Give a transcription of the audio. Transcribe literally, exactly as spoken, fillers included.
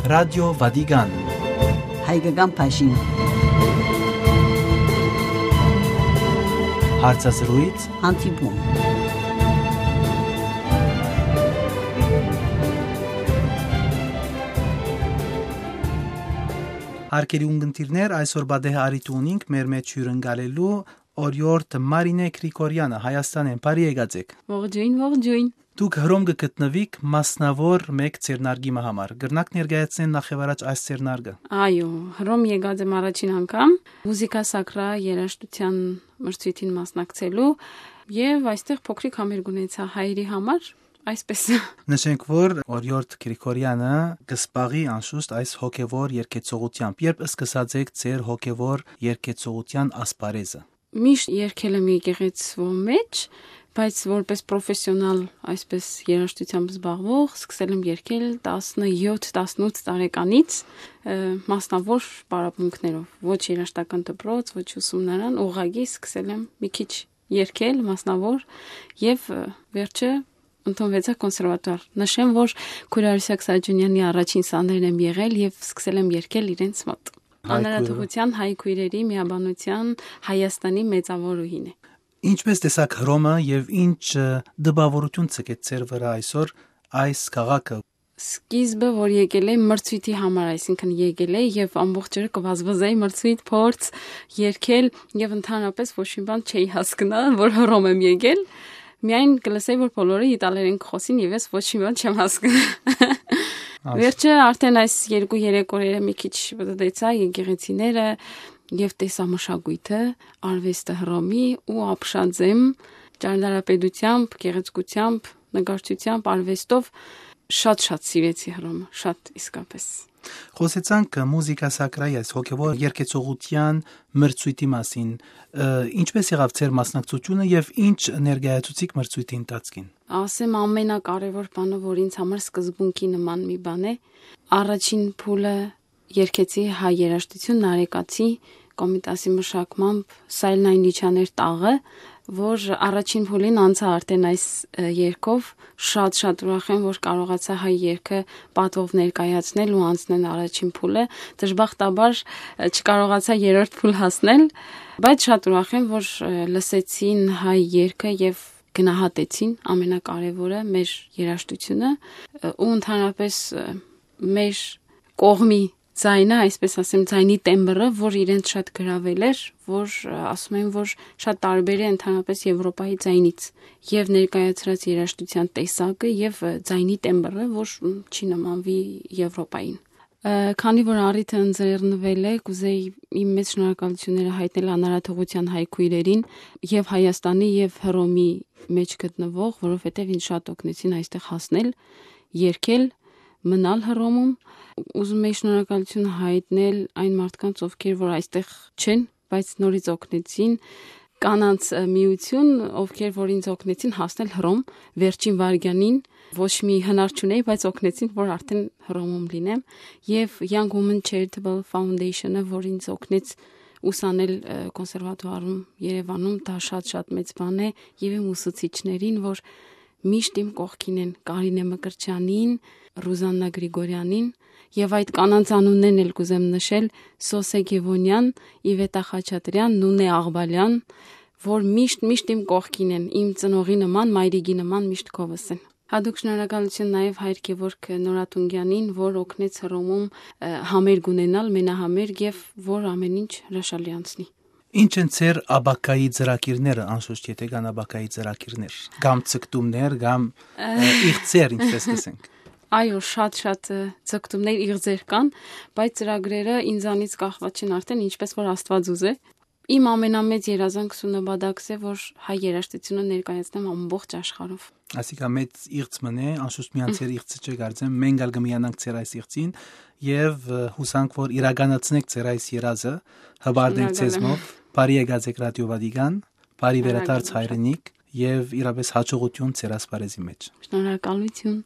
Ռադիո Վատիկան։ Հայկական բաժին։ Հարցազրույց։ Հանդիպում։ Հարգելի ունգընտիրներ, այսօր պատեհ առիթ ունինք մեր մեջ հիւրընկալելու օրիորդ Մարինէ Գրիգորեանը, Հայաստանէն։ Բարի եկած եք։ Ողջոյն, ողջոյն։ Դուք Հռոմ կը գտնուիք մասնաւոր մէկ ձեռնարկի մը համար։ Կրնաք ներկայացնել նախ եւ առաջ այս ձեռնարկը։ Այո, Հռոմ եկած եմ առաջին անգամ Մուզիկա Սակրա երաժշտության մրցոյթին մասնակցելու եւ այստեղ փոքրիկ համերգ ունեցայ հայերի համար, այսպես։ Նշենք, որ օրիորդ Գրիգորեանը կը զբաղի անշուշտ այս հոգեվոր երգեցողությամբ։ Երբ սկսած եք ձեր հոգեվոր երգեցողության ասպարեզը։ Միշտ երգել եմ եկեղեցւոյ մեջ, բայց որպես պրոֆեսիոնալ, այսպես երաժշտությամբ զբաղվող, սկսել եմ երգել տասնեթ, տասնութ տարեկանից, ը, մասնաւոր պարապմունքներով, ոչ երաժշտական դպրոց, ոչ ուսումնարան, ուղղակի սկսել եմ մի քիչ երգել մասնաւոր եւ, ը, վերջը ընդունուեցայ կոնսերվատուար։ Նշեմ, որ քույր Արուսակ Սաճունեանի առաջին սաներն եմ եղել եւ սկսել եմ երգել իրենց մոտ։ Հայ քույրը։ Անարատողության հայ քույրերի միաբանության Հայաստանի մեծաւորուհին է։ Ինչպէս տեսաք Հռոմը եւ ինչ, ը, տպաւորութիւն ցկեց ձեր վրայ այսօր այս քաղաքը։ Սկիզբը, որ եկել է մրցոյթի համար, այսինքն եկել է եւ ամբողջ օրը կը վազվզեի մրցոյթ, փորձ, երգել եւ ընդհանրապես ոչ մի բան չէի հասկնա, որ Հռոմ եմ եկել։ Միայն կը լսեի, որ բոլորը իտալերեն կը խօսին եւ ես ոչ մի բան չեմ հասկնա։ Աս- Վերջը արդեն այս երկու-երեք օրերը մի քիչ պտտեցայ եկեղեցիները եւ տեսայ մշակոյթը, արուեստը Հռոմի ու ապշած եմ ճարտարապետությամբ, գեղեցկությամբ, նկարչությամբ, արուեստով շատ-շատ սիրեցի Հռոմը, շատ իսկապես։ Խօսեցանք Մուզիկա Սակրայի այս հոգեվոր երգեցողության մրցոյթի մասին։ Ը, ինչպէս եղաւ ձեր մասնակցությունը եւ ինչ ներկայացուցիք մրցոյթի ընթացքին։ Ասեմ, ամենակարեւոր բանը, որ ինձ համար սկզբունքի նման մի բան է, առաջին փուլը երգեցի հայ երաժշտություն Նարեկացի կոմիտասի մշակմամբ Սայլնայն Լիչաներ տաղը, որ առաջին փուլին անցա արդեն այս, ը, երգով, շատ-շատ ուրախ եմ, որ կարողացա հայ երգը պատվով ներկայացնել ու անցնել առաջին փուլը։ Դժբախտաբար, ը, չկարողացա երրորդ փուլ հասնել, բայց շատ ուրախ եմ, որ, ը, լսեցին հայ երգը եւ գնահատեցին, ամենակարեւորը, մեր երաժշտությունը, ը, ու ընդհանրապես, ը, մեր կողմի ձայնը, այսպես ասեմ, ձայնի տեմբրը, որ իրենց շատ գրավել էր, որ, ը, ասում են, որ շատ տարբեր է ընդհանրապես Եվրոպայի ձայնից, եւ ներկայացրած երաժշտության տեսակը եւ, ը, ձայնի տեմբրը, որ, մ, չի նմանվի Եվրոպային։ Ը, քանի որ առիթը ընձեռնվել է, կուզեի իմ մեծ շնորհակալությունները հայտնել անարատողության հայ քույրերին եւ Հայաստանի եւ Հռոմի մեջ գտնվող, որովհետեւ ինձ շատ օգնեցին այստեղ հասնել, երգել, մնալ Հռոմում։ Ուզում եի շնորհակալություն հայտնել այն մարդկանց, ովքեր որ այստեղ չեն, բայց նորից օգնեցին, կանանց, ը, միություն, ովքեր որ ինձ օգնեցին հասնել Հռոմ վերջին վայրկյանին, ոչ մի հնար չունեի, բայց օգնեցին, որ արդեն Հռոմում լինեմ, եւ Young Women Charitable Foundation-ը, որ ինձ օգնեց ուսանել, ը, կոնսերվատուարում Երևանում, դա շատ-շատ մեծ բան է, եւ իմ ուսուցիչներին, որ միշտ իմ կողքին են, Կարինէ Մկրտչեանին, Ռուզաննա Գրիգորեանին, եւ այդ կանանց անուններն էլ կուզեմ նշել՝ Սոսե Գևոնեան, Իվետա Խաչատրեան, Նունե Աղբալեան, որ միշտ, միշտ իմ կողքին են, իմ ծնողի նման, մայրիկի նման միշտ քովս են։ Հատուկ շնորհակալություն նաեւ Հայր Գևորգ Նորատունկեանին, որ օգնեց Հռոմում, ը, համերգ ունենալ, մենահամերգ, եւ որ ամեն ինչ հրաշալի անցնի։ Ինչ են ձեր ապագայի ծրագիրները, անշուշտ, եթե կան ապագայի ծրագիրներ, կամ ցկտումներ, կամ, ը, իղձեր, ինչպես կ'ըսենք։ Այո, շատ-շատ, ը, ցկտումներ, իղձեր կան, բայց ծրագրերը ինձանից կախված չեն արդեն, ինչպես որ Աստուած ուզէ։ Իմ ամենամեծ երազանքս ու նպատակս է, որ հայ երաժշտությունը ներկայացնեմ ամբողջ աշխարհով։ Ասիկա մեծ իղձ մըն է, անշուշտ միան ձեր իղձը չէ, կարծեմ, մենք ալ կը միանանք ձեր այս իղձին, եւ, ը, յուսանք, որ իրականացնեք ձեր այս երազը, հպարտ ենք ձեզմով, բարի եկած եք Ռադիո Վատիկան, բարի վերադարձ հայրենիք եւ իրապես հաջողություն ձեր ասպարեզի մեջ։ Շնորհակալություն։